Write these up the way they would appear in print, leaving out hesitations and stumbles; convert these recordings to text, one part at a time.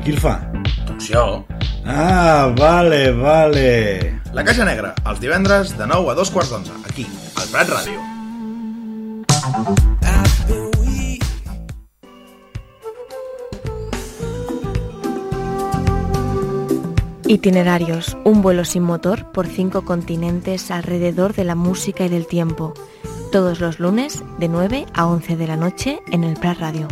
Qui el fa? Doncs jo. Ah, vale. La Caixa Negra, els divendres de 9 a 2:15, aquí, al Prat Ràdio. Itinerarios, un vuelo sin motor por 5 continentes alrededor de la música y del tiempo. Todos los lunes de 9 a 11 de la noche en el Prat Radio.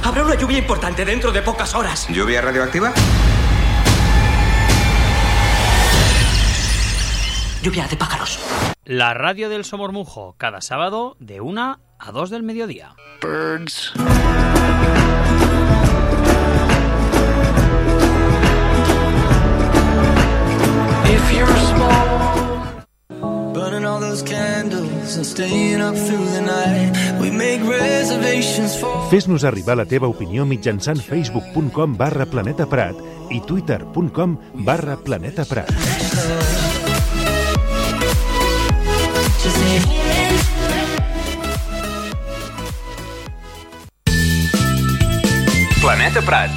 Habrá una lluvia importante dentro de pocas horas. ¿Lluvia radioactiva? Lluvia de pájaros. La radio del Somormujo, cada sábado de 1 a 2 del mediodía. Birds. If you're small, burning all those candles and staying up through the night, we make reservations for... Fes-nos arribar la teva opinió mitjançant facebook.com/planetaprat i twitter.com/planetaprat. Planeta Prat.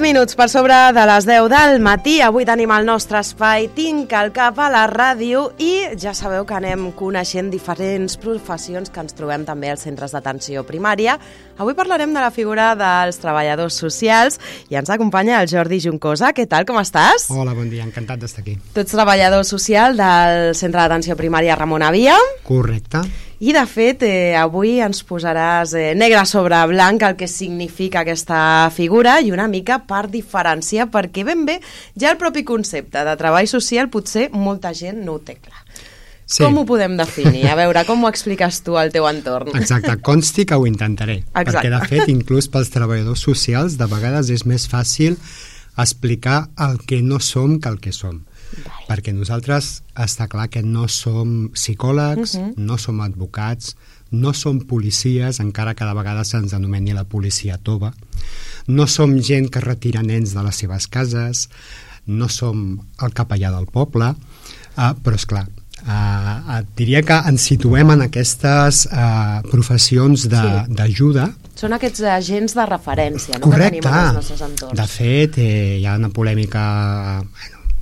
Minuts per sobre de les 10 del matí. Avui tenim el nostre espai Tinc el cap a la ràdio i ja sabeu que anem coneixent diferents professions que ens trobem també als centres d'atenció primària. Avui parlarem de la figura dels treballadors socials i ens acompanya el Jordi Juncosa. Què tal, com estàs? Hola, bon dia, encantat d'estar aquí. Tu ets treballador social del centre d'atenció primària Ramon Avia. Correcte. I, de fet, avui ens posaràs negre sobre blanc el que significa aquesta figura i una mica per diferenciar, perquè ben bé ja el propi concepte de treball social potser molta gent no ho té clar. Sí. Com ho podem definir? A veure, com ho expliques tu al teu entorn? Exacte, consti que ho intentaré. Exacte. Perquè, de fet, inclús pels treballadors socials, de vegades és més fàcil explicar el que no som que el que som. Vale. Perquè nosaltres està clar que no som psicòlegs, no som advocats, no som policies, encara que de vegades se'ns anomeni la policia tova, no som gent que retira nens de les seves cases, no som el capellà del poble, però és clar, diria que ens situem en aquestes professions d'ajuda. Són aquests agents de referència, no? Correcte. Que tenim en els nostres entorns. De fet, hi ha una polèmica,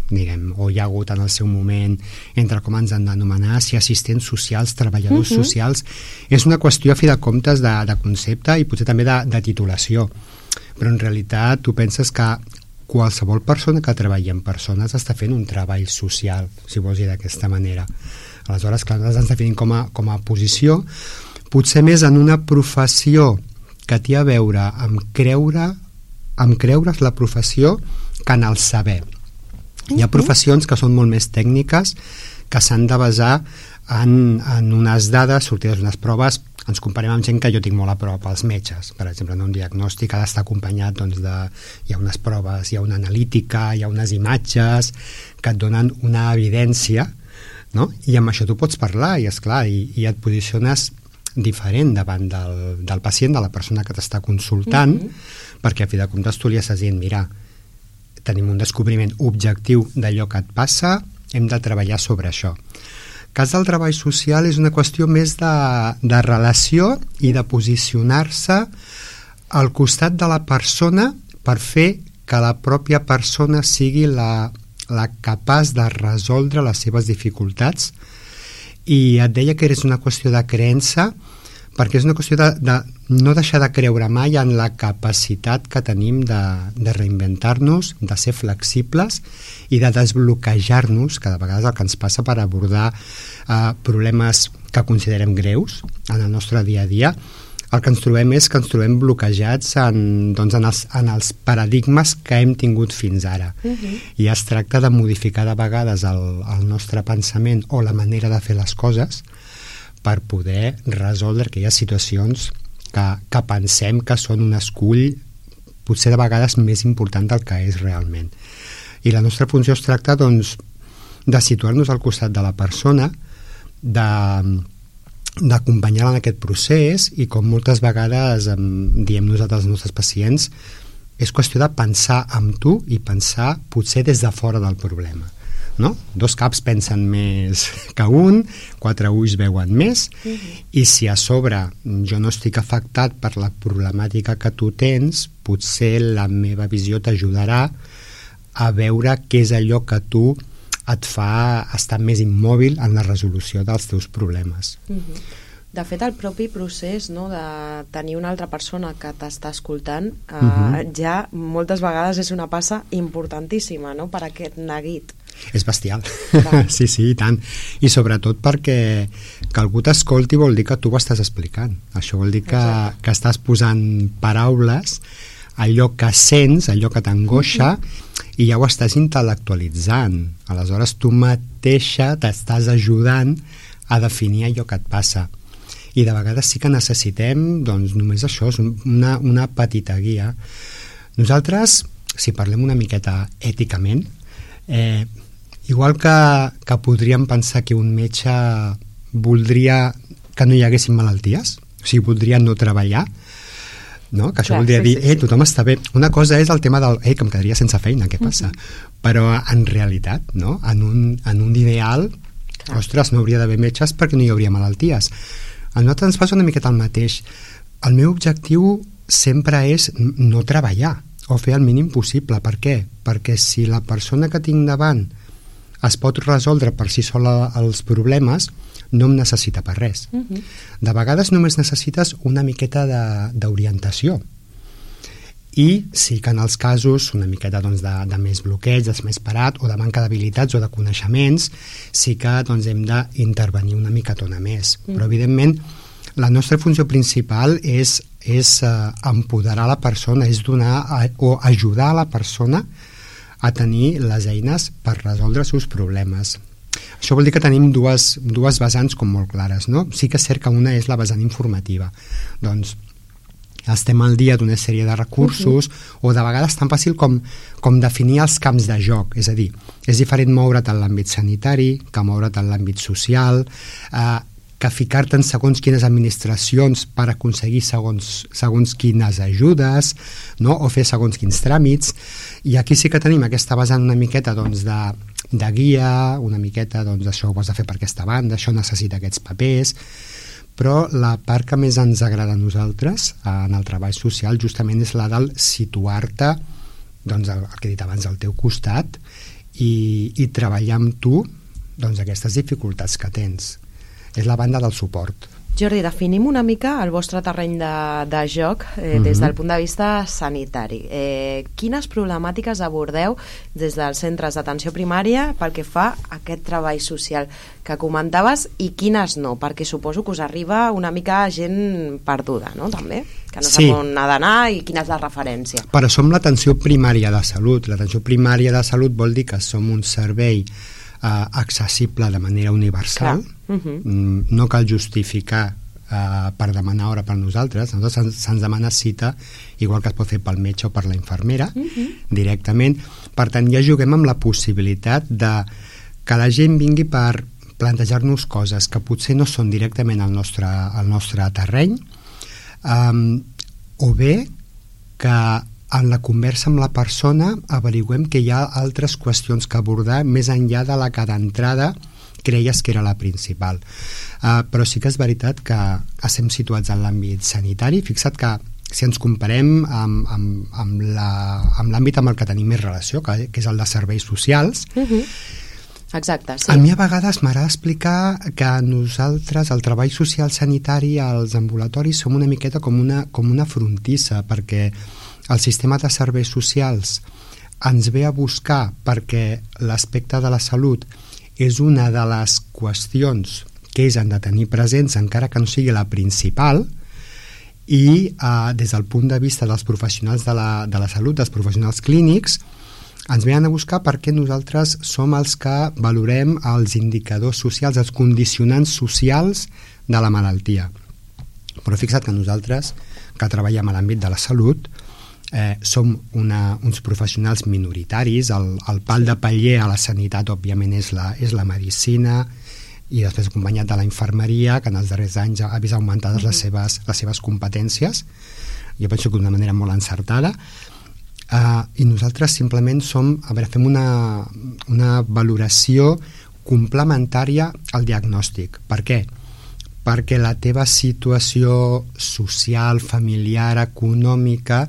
diguem, o hi ha hagut en el seu moment entre com ens han d'anomenar, si assistents socials, treballadors socials. És una qüestió, a fi de comptes, de concepte i potser també de titulació. Però en realitat tu penses que qualsevol persona que treballi amb persones està fent un treball social, si vols dir d'aquesta manera. Aleshores, clar, nosaltres ens definim com a posició, potser més en una professió que té a veure amb creure's la professió que en el saber. Hi ha professions que són molt més tècniques, que s'han de basar en unes dades sortides d'unes proves. Ens comparem amb gent que jo tinc molt a prop, els metges, per exemple, en un diagnòstic ha d'estar acompanyat hi ha unes proves, hi ha una analítica, hi ha unes imatges que et donen una evidència, no? I amb això tu pots parlar i, esclar, i et posiciones diferent davant del pacient, de la persona que t'està consultant, perquè a fi de comptes tu li estàs dient, mira, tenim un descobriment objectiu d'allò que et passa, hem de treballar sobre això. El cas del treball social és una qüestió més de relació i de posicionar-se al costat de la persona per fer que la pròpia persona sigui la capaç de resoldre les seves dificultats. I et deia que és una qüestió de creença, perquè és una qüestió no deixar de creure mai en la capacitat que tenim de reinventar-nos, de ser flexibles i de desbloquejar-nos, que de vegades el que ens passa per abordar problemes que considerem greus en el nostre dia a dia. El que ens trobem és que ens trobem bloquejats en els paradigmes que hem tingut fins ara. I es tracta de modificar de vegades el nostre pensament o la manera de fer les coses per poder resoldre aquelles situacions que pensem que són un escull potser de vegades més important del que és realment. I la nostra funció es tracta, doncs, de situar-nos al costat de la persona, d'acompanyar-la en aquest procés, i com moltes vegades diem nosaltres als nostres pacients, és qüestió de pensar amb tu i pensar potser des de fora del problema. No? 2 caps pensen més que un, 4 ulls veuen més, i si a sobre jo no estic afectat per la problemàtica que tu tens, potser la meva visió t'ajudarà a veure què és allò que tu et fa estar més immòbil en la resolució dels teus problemes. De fet, el propi procés, no, de tenir una altra persona que t'està escoltant ja moltes vegades és una passa importantíssima, no?, per aquest neguit. És bestial. Sí, i tant. I sobretot perquè que algú t'escolti vol dir que tu ho estàs explicant. Això vol dir que estàs posant paraules allò que sents, allò que t'angoixa, i ja ho estàs intel·lectualitzant. Aleshores tu mateixa t'estàs ajudant a definir allò que et passa. I de vegades sí que necessitem, doncs, només això, una petita guia. Nosaltres, si parlem una miqueta èticament, igual que podríem pensar que un metge voldria que no hi haguessin malalties, o sigui, voldria no treballar, no? Que això voldria dir, tothom està bé. Una cosa és el tema del, que em quedaria sense feina, què passa? Però en realitat, no? En un ideal, ostres, no hauria d'haver metges perquè no hi hauria malalties. A nosaltres ens passa una miqueta el mateix. El meu objectiu sempre és no treballar o fer el mínim possible. Per què? Perquè si la persona que tinc davant es pot resoldre per si sola els problemes, no em necessita per res. De vegades només necessites una miqueta d'orientació. I sí que en els casos una miqueta de més bloqueig, de més parat, o de manca d'habilitats o de coneixements, sí que hem d'intervenir una micatona més. Però evidentment la nostra funció principal és empoderar la persona, és donar o ajudar a la persona a tenir les eines per resoldre els seus problemes. Això vol dir que tenim dues vessants com molt clares, no? Sí que és cert que una és la vessant informativa. Doncs estem al dia d'una sèrie de recursos o de vegades tan fàcil com definir els camps de joc. És a dir, és diferent moure't en l'àmbit sanitari que moure't en l'àmbit social, que ficar-te en segons quines administracions per aconseguir segons quines ajudes, no? O fer segons quins tràmits. I aquí sí que tenim aquesta vessant una miqueta de guia, una miqueta això ho has de fer per aquesta banda, això necessita aquests papers, però la part que més ens agrada a nosaltres en el treball social justament és la del situar-te, el que he dit abans, al teu costat i treballar amb tu aquestes dificultats que tens. És la banda del suport. Jordi, definim una mica el vostre terreny de joc des del punt de vista sanitari. Quines problemàtiques abordeu des dels centres d'atenció primària pel que fa a aquest treball social que comentaves i quines no? Perquè suposo que us arriba una mica gent perduda, no? També, que no sap on ha d'anar i quina és la referència. Però som l'atenció primària de salut. L'atenció primària de salut vol dir que som un servei accessible de manera universal. No cal justificar per demanar hora per nosaltres. Se'ns demana cita, igual que es pot fer pel metge o per la infermera directament. Per tant, ja juguem amb la possibilitat de que la gent vingui per plantejar-nos coses que potser no són directament al nostre terreny, o bé que en la conversa amb la persona averiguem que hi ha altres qüestions que abordar més enllà de la que d'entrada creies que era la principal. Però sí que és veritat que estem situats en l'àmbit sanitari. Fixa't que si ens comparem amb l'àmbit amb el que tenim més relació, que és el de serveis socials, Exacte, sí. A mi a vegades m'agrada explicar que nosaltres, el treball social sanitari, als ambulatoris, som una miqueta com una frontissa, perquè el sistema de serveis socials ens ve a buscar perquè l'aspecte de la salut és una de les qüestions que ells han de tenir presents, encara que no sigui la principal, i des del punt de vista dels professionals de la salut, dels professionals clínics, ens venen a buscar perquè nosaltres som els que valorem els indicadors socials, els condicionants socials de la malaltia. Però fixa't que nosaltres, que treballem a l'àmbit de la salut, som uns professionals minoritaris. El pal de paller a la sanitat, òbviament, és la medicina, i després acompanyat de la infermeria, que en els darrers anys ha vist augmentades les seves competències. Jo penso que d'una manera molt encertada. I nosaltres simplement fem una valoració complementària al diagnòstic. Per què? Perquè la teva situació social, familiar, econòmica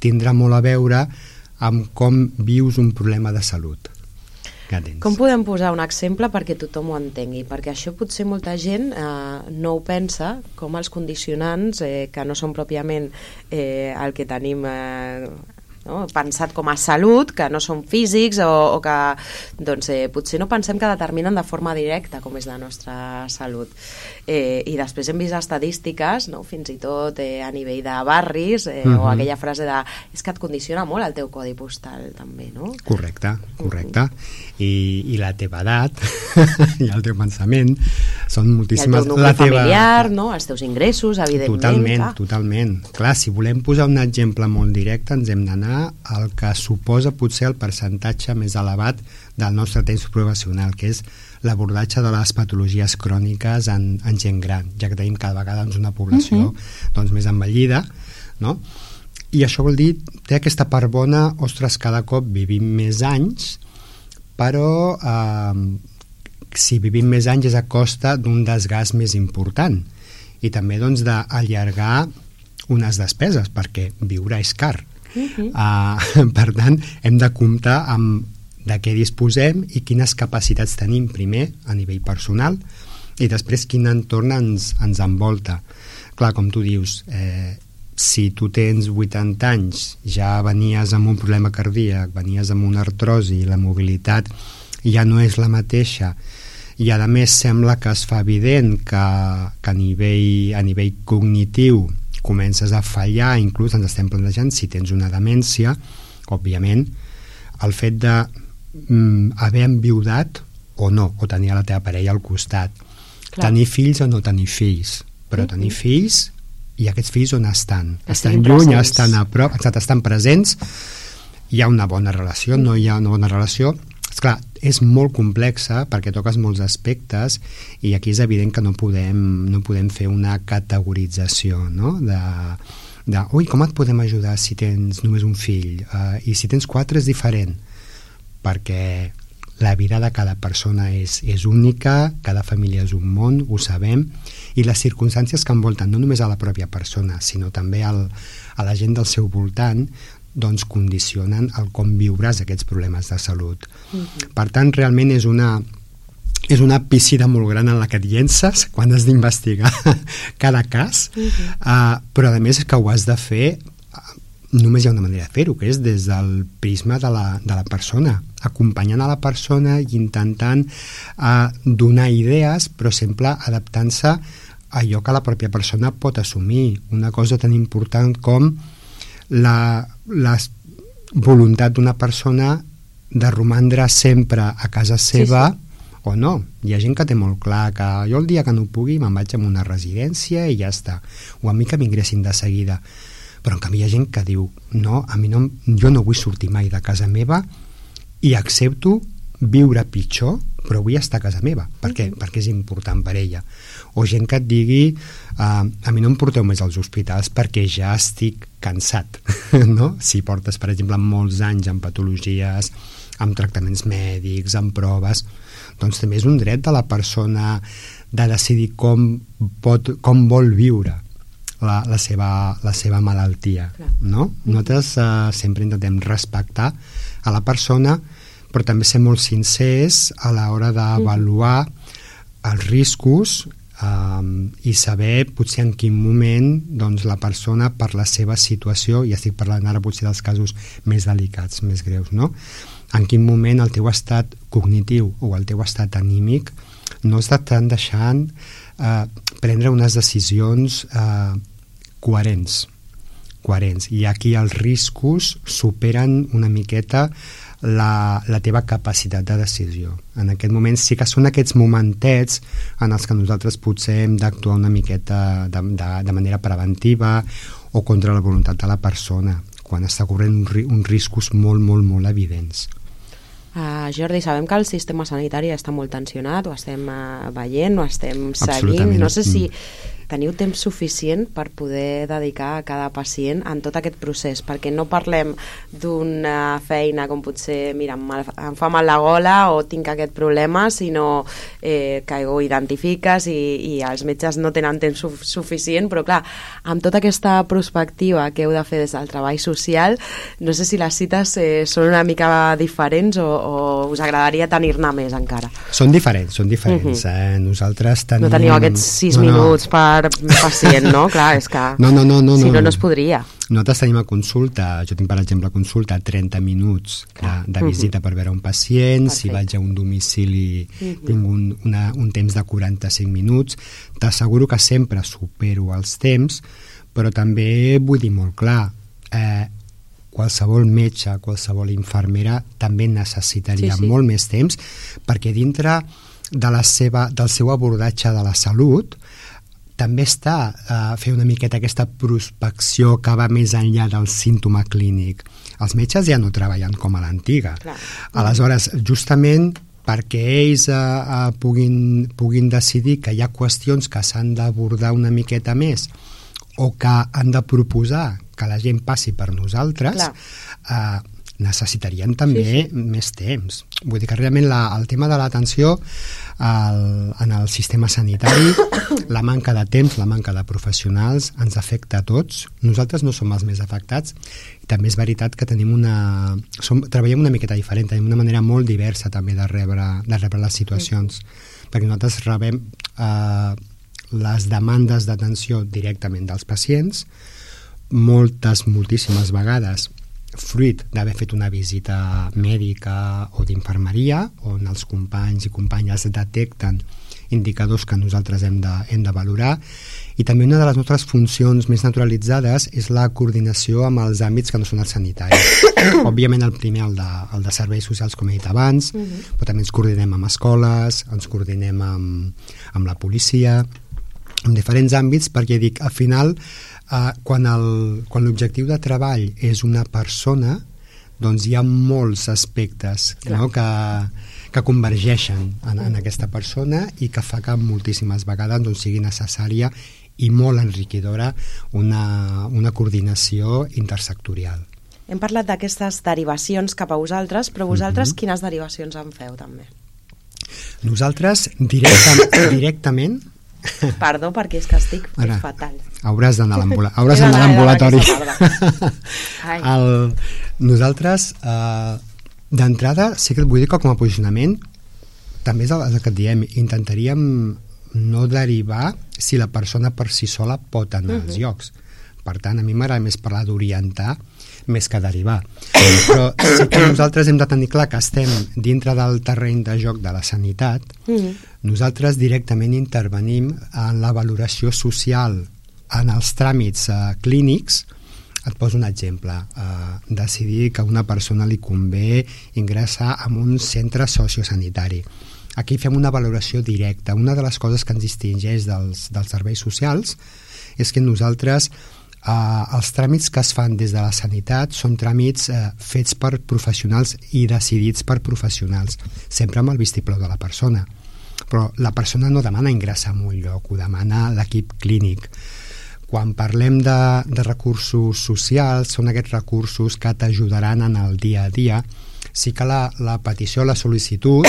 tindrà molt a veure amb com vius un problema de salut. Com podem posar un exemple perquè tothom ho entengui? Perquè això potser molta gent no ho pensa, com els condicionants, que no són pròpiament el que tenim pensat com a salut, que no són físics o que potser no pensem que determinen de forma directa com és la nostra salut. I després hem vist estadístiques, fins i tot a nivell de barris, o aquella frase de és que et condiciona molt el teu codi postal també, no? Correcte. I la teva edat i el teu pensament són moltíssimes... I el teu nucli familiar, els teus ingressos, evidentment. Totalment. Clar, si volem posar un exemple molt directe, ens hem d'anar al que suposa potser el percentatge més elevat del nostre temps professional, que és l'abordatge de les patologies cròniques en gent gran, ja que tenim cada vegada una població més envellida, no? I això vol dir, té aquesta part bona, ostres, cada cop vivim més anys, però si vivim més anys és a costa d'un desgast més important i també d'allargar unes despeses, perquè viure és car. Per tant, hem de comptar amb de què disposem i quines capacitats tenim, primer a nivell personal i després quin entorn ens envolta. Clar, com tu dius, si tu tens 80 anys, ja venies amb un problema cardíac, venies amb una artrosi, la mobilitat ja no és la mateixa i a més sembla que es fa evident que a nivell cognitiu comences a fallar, inclús ens estem plantejant si tens una demència, òbviament el fet d'haver enviudat o no, o tenir a la teva parella al costat. Clar. Tenir fills o no tenir fills, però tenir fills i aquests fills on estan? Estan lluny, estan a prop, estan presents, hi ha una bona relació, no hi ha una bona relació. Esclar, és molt complexa perquè toques molts aspectes i aquí és evident que no podem fer una categorització, no? Ui, com et podem ajudar si tens només un fill? I si tens 4 és diferent, perquè la vida de cada persona és única, cada família és un món, ho sabem, i les circumstàncies que envolten no només a la pròpia persona, sinó també a la gent del seu voltant, doncs condicionen el com viuràs aquests problemes de salut. Per tant, realment és una piscina molt gran en la que et llences quan has d'investigar cada cas, però a més que ho has de fer, només hi ha una manera de fer-ho, que és des del prisma de la persona, acompanyant a la persona i intentant donar idees, però sempre adaptant-se a allò que la pròpia persona pot assumir. Una cosa tan important com la voluntat d'una persona de romandre sempre a casa seva o no. Hi ha gent que té molt clar que jo el dia que no pugui me'n vaig a una residència i ja està, o a mi que m'ingressin de seguida, però en canvi hi ha gent que diu no, jo no vull sortir mai de casa meva i accepto viure pitjor, però vull estar a casa meva. Per què? Perquè és important per ella. O gent que et digui a mi no em porteu més als hospitals perquè ja estic cansat, no? Si portes, per exemple, molts anys amb patologies, amb tractaments mèdics, amb proves, doncs també és un dret de la persona de decidir com vol viure la seva malaltia, no? Nosaltres sempre intentem respectar a la persona, però també ser molt sincers a l'hora d'avaluar els riscos i saber potser en quin moment doncs, la persona per la seva situació, i estic parlant ara potser dels casos més delicats, més greus, no? En quin moment el teu estat cognitiu o el teu estat anímic no estan deixant prendre unes decisions coherents, i aquí els riscos superen una miqueta la teva capacitat de decisió. En aquest moment sí que són aquests momentets en els que nosaltres potser hem d'actuar una miqueta de manera preventiva o contra la voluntat de la persona, quan està corrent uns riscos molt, molt, molt evidents. Jordi, sabem que el sistema sanitari està molt tensionat, ho estem veient, ho estem seguint. No sé si teniu temps suficient per poder dedicar a cada pacient en tot aquest procés, perquè no parlem d'una feina com potser, mira, em fa mal la gola o tinc aquest problema, sinó que ho identifiques i els metges no tenen temps suficient, però clar, amb tota aquesta perspectiva que heu de fer des del treball social, no sé si les cites són una mica diferents o us agradaria tenir-ne més encara. Són diferents. Nosaltres tenim... No teniu aquests 6 minuts per pacient, no? Clar, és que no, si no es podria. Nosaltres tenim a consulta, jo tinc per exemple a consulta 30 minuts de visita per veure un pacient. Perfecte. Si vaig a un domicili tinc un temps de 45 minuts. T'asseguro que sempre supero els temps, però també vull dir molt clar, qualsevol metge, qualsevol infermera també necessitaria molt més temps, perquè dintre del seu abordatge de la salut també està fer una miqueta aquesta prospecció que va més enllà del símptoma clínic. Els metges ja no treballen com a l'antiga. Aleshores, justament perquè ells puguin decidir que hi ha qüestions que s'han d'abordar una miqueta més o que han de proposar que la gent passi per nosaltres, necessitarien també més temps. Vull dir que realment el tema de l'atenció en el sistema sanitari, la manca de temps, la manca de professionals ens afecta a tots. Nosaltres no som els més afectats i també és veritat que treballem una miqueta diferent, tenim una manera molt diversa també de rebre les situacions, perquè nosaltres rebem les demandes d'atenció directament dels pacients, moltíssimes vegades fruit d'haver fet una visita mèdica o d'infermeria, on els companys i companyes detecten indicadors que nosaltres hem de valorar, i també una de les nostres funcions més naturalitzades és la coordinació amb els àmbits que no són els sanitaris. Òbviament el primer, el de serveis socials, com he dit abans, però també ens coordinem amb escoles, ens coordinem amb la policia, en diferents àmbits, perquè dic, al final quan l'objectiu de treball és una persona, doncs hi ha molts aspectes, no? que convergeixen en aquesta persona i que fa que moltíssimes vegades doncs, sigui necessària i molt enriquidora una coordinació intersectorial. Hem parlat d'aquestes derivacions cap a vosaltres, però vosaltres quines derivacions en feu també? Nosaltres directament Perdó, perquè és que estic fatal. Hauràs d'anar a l'ambulatori. Nosaltres, d'entrada, sí que et vull dir que com a posicionament, també és el que et diem, intentaríem no derivar si la persona per si sola pot anar als llocs. Per tant, a mi m'agrada més parlar d'orientar més que derivar. Però sí que nosaltres hem de tenir clar que estem dintre del terreny de joc de la sanitat. Nosaltres directament intervenim en la valoració social, en els tràmits clínics. Et poso un exemple. Decidir que a una persona li convé ingressar en un centre sociosanitari. Aquí fem una valoració directa. Una de les coses que ens distingeix dels serveis socials és que nosaltres els tràmits que es fan des de la sanitat són tràmits fets per professionals i decidits per professionals, sempre amb el vistiplau de la persona. Però la persona no demana ingressar en un lloc, ho demana l'equip clínic. Quan parlem de recursos socials, són aquests recursos que t'ajudaran en el dia a dia. Sí que la petició, la sol·licitud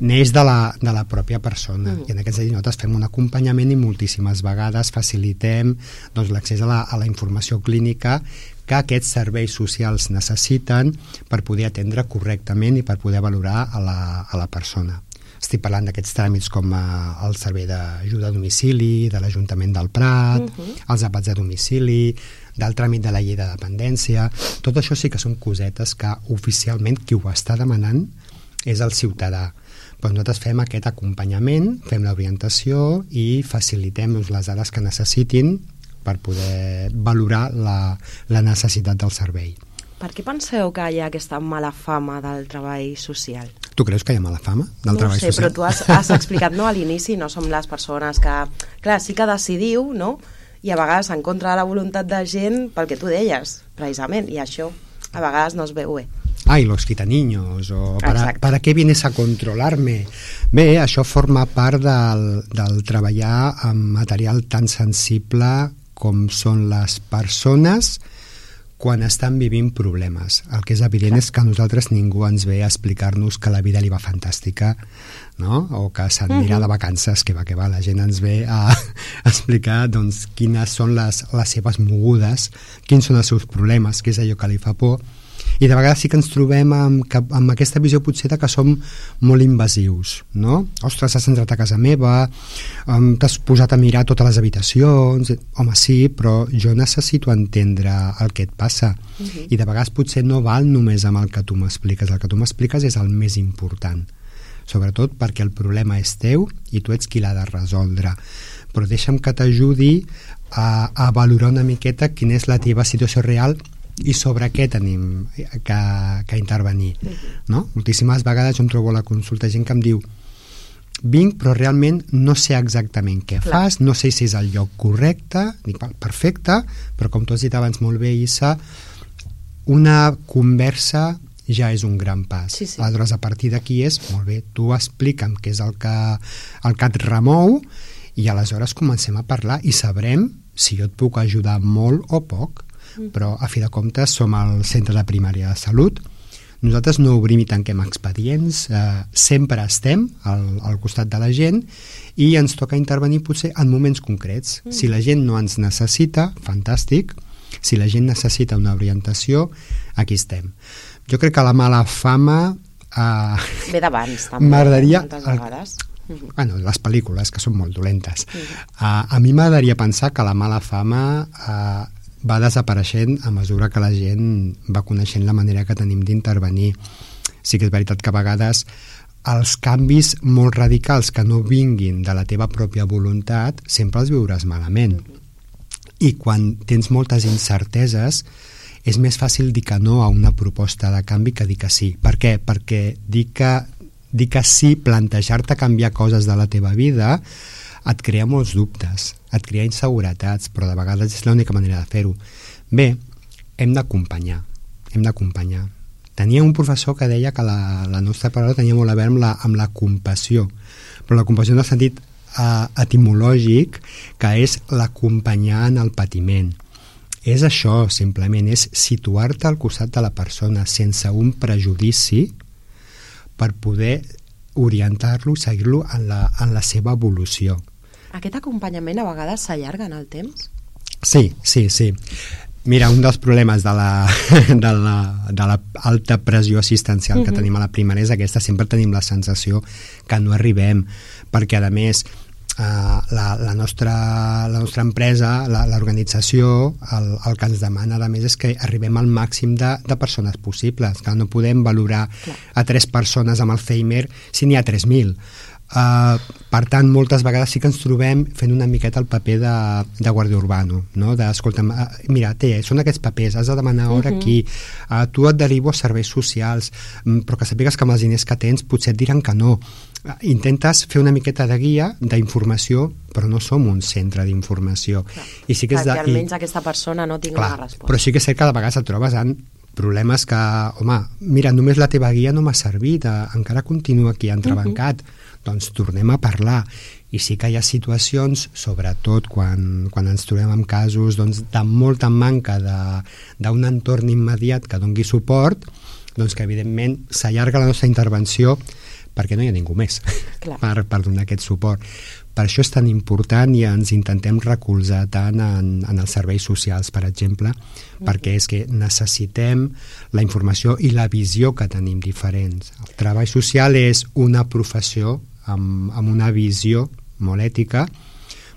neix de la pròpia persona, i en aquest sentit nosaltres fem un acompanyament i moltíssimes vegades facilitem doncs, l'accés a la informació clínica que aquests serveis socials necessiten per poder atendre correctament i per poder valorar a la persona. Estic parlant d'aquests tràmits com el servei d'ajuda a domicili, de l'Ajuntament del Prat, els àpats a domicili, del tràmit de la llei de dependència. Tot això sí que són cosetes que oficialment qui ho està demanant és el ciutadà. Però nosaltres fem aquest acompanyament, fem l'orientació i facilitem les dades que necessitin per poder valorar la necessitat del servei. Per què penseu que hi ha aquesta mala fama del treball social? Tu creus que hi ha mala fama del treball social? No ho sé, però tu has explicat, no, a l'inici, no som les persones que... Clar, sí que decidiu, no?, i a vegades en contra de la voluntat de gent pel que tu deies, precisament, i això a vegades no es veu bé. Ai, los quitaniños, o ¿para qué vienes a controlarme? Bé, això forma part del treballar amb material tan sensible com són les persones quan estan vivint problemes. El que és evident és que a nosaltres ningú ens ve a explicar-nos que la vida li va fantàstica, no? O que s'anirà de vacances, que va, la gent ens ve a explicar doncs, quines són les seves mogudes, quins són els seus problemes, què és allò que li fa por. I de vegades sí que ens trobem amb aquesta visió potser que som molt invasius, no? Ostres, has entrat a casa meva, t'has posat a mirar totes les habitacions, home sí, però jo necessito entendre el que et passa, i de vegades potser no val només amb el que tu m'expliques, el que tu m'expliques és el més important, sobretot perquè el problema és teu i tu ets qui l'ha de resoldre, però deixa'm que t'ajudi a valorar una miqueta quina és la teva situació real i sobre què tenim que intervenir, no? Moltíssimes vegades jo em trobo a la consulta gent que em diu vinc però realment no sé exactament què fas, no sé si és el lloc correcte. Dic, perfecte, però com tu has dit abans molt bé, Issa, una conversa ja és un gran pas. Sí. Aleshores, a partir d'aquí és, molt bé, tu explica'm què és el que et remou i aleshores comencem a parlar i sabrem si jo et puc ajudar molt o poc. Però a fi de comptes som al centre de primària de salut, nosaltres no obrim i tanquem expedients, sempre estem al costat de la gent i ens toca intervenir potser en moments concrets. Si la gent no ens necessita, fantàstic, si la gent necessita una orientació, aquí estem. Jo crec que la mala fama ve d'abans també, m'agradaria moltes vegades. Bueno, les pel·lícules que són molt dolentes. A mi m'agradaria pensar que la mala fama va desapareixent a mesura que la gent va coneixent la manera que tenim d'intervenir. Sí que és veritat que a vegades els canvis molt radicals que no vinguin de la teva pròpia voluntat sempre els viuràs malament. I quan tens moltes incerteses és més fàcil dir que no a una proposta de canvi que dir que sí. Per què? Perquè dir que sí, plantejar-te canviar coses de la teva vida et crea molts dubtes, et crea inseguretats, però de vegades és l'única manera de fer-ho. Bé, hem d'acompanyar. Tenia un professor que deia que la nostra paraula tenia molt a veure amb la compassió, però la compassió en el sentit etimològic, que és l'acompanyar en el patiment. És això, simplement, és situar-te al costat de la persona sense un prejudici per poder orientar-lo, seguir-lo en la seva evolució. Aquest acompanyament a vegades s'allarga en el temps? Sí. Mira, un dels problemes de la alta pressió assistencial que tenim a la primària és aquesta, sempre tenim la sensació que no arribem, perquè a més la nostra empresa, l'organització, el que ens demana a més és que arribem al màxim de persones possibles, que no podem valorar a 3 persones amb Alzheimer si n'hi ha 3.000. Per tant, moltes vegades sí que ens trobem fent una miqueta el paper de guàrdia urbano, no? Escolta'm, mira, són aquests papers, has de demanar hora aquí, tu et derivo a serveis socials, però que sàpigues que amb els diners que tens potser et diran que no. Intentes fer una miqueta de guia, d'informació, però no som un centre d'informació. Perquè almenys aquesta persona no tingui una resposta. Però sí que és cert que de vegades et trobes en problemes que, home, mira, només la teva guia no m'ha servit, encara continua aquí entrebancat, doncs tornem a parlar. I sí que hi ha situacions, sobretot quan ens trobem en casos de molta manca d'un entorn immediat que doni suport, doncs que evidentment s'allarga la nostra intervenció perquè no hi ha ningú més per donar aquest suport. Per això és tan important i ens intentem recolzar tant en els serveis socials, per exemple, perquè és que necessitem la informació i la visió que tenim diferents. El treball social és una professió amb una visió molt ètica,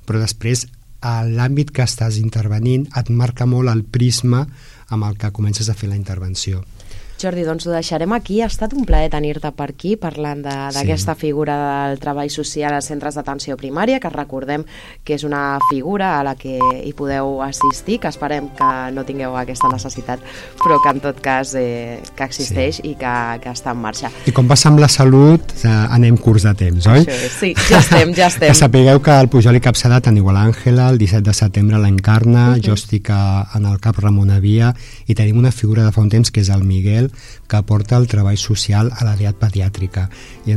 però després l'àmbit que estàs intervenint et marca molt el prisma amb el que comences a fer la intervenció. Jordi, doncs ho deixarem aquí. Ha estat un plaer tenir-te per aquí parlant d'aquesta figura del treball social als centres d'atenció primària, que recordem que és una figura a la que hi podeu assistir, que esperem que no tingueu aquesta necessitat, però que en tot cas que existeix i que està en marxa. I com passa amb la salut, anem curts de temps, oi? Sí, ja estem. Que sapigueu que al Pujol i Capçada teniu l'Àngela, el 17 de setembre l'Encarna, jo estic en el CAP Ramon Avia i tenim una figura de fa un temps que és el Miguel, que aporta el treball social a l'àrea pediàtrica. I entre